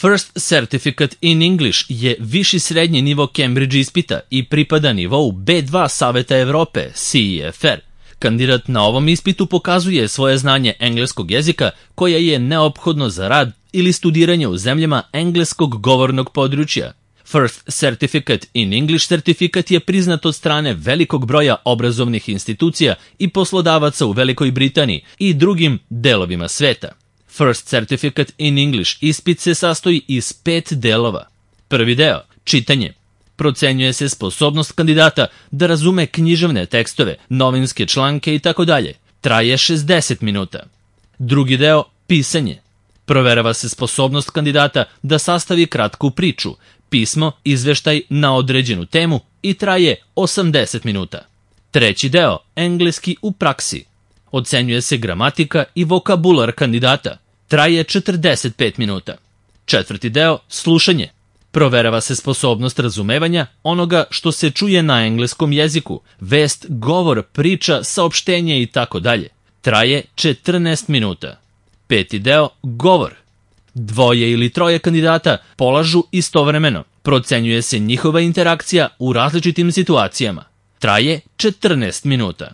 First Certificate in English je viši srednji nivo Cambridge ispita i pripada nivou B2 Saveta Evrope, CEFR. Kandidat na ovom ispitu pokazuje svoje znanje engleskog jezika koje je neophodno za rad ili studiranje u zemljama engleskog govornog područja. First Certificate in English sertifikat je priznat od strane velikog broja obrazovnih institucija i poslodavaca u Velikoj Britaniji i drugim delovima sveta. First Certificate in English ispit se sastoji iz 5 delova. Prvi deo, čitanje. Procenjuje se sposobnost kandidata da razume književne tekstove, novinske članke itd. Traje 60 minuta. Drugi deo, pisanje. Proverava se sposobnost kandidata da sastavi kratku priču, pismo, izveštaj na određenu temu i traje 80 minuta. Treći deo, engleski u praksi. Ocenjuje se gramatika i vokabular kandidata. Traje 45 minuta. Četvrti deo, slušanje. Proverava se sposobnost razumevanja onoga što se čuje na engleskom jeziku, vest, govor, priča, saopštenje itd. Traje 14 minuta. Peti deo, govor. 2 ili 3 kandidata polažu istovremeno. Procenjuje se njihova interakcija u različitim situacijama. Traje 14 minuta.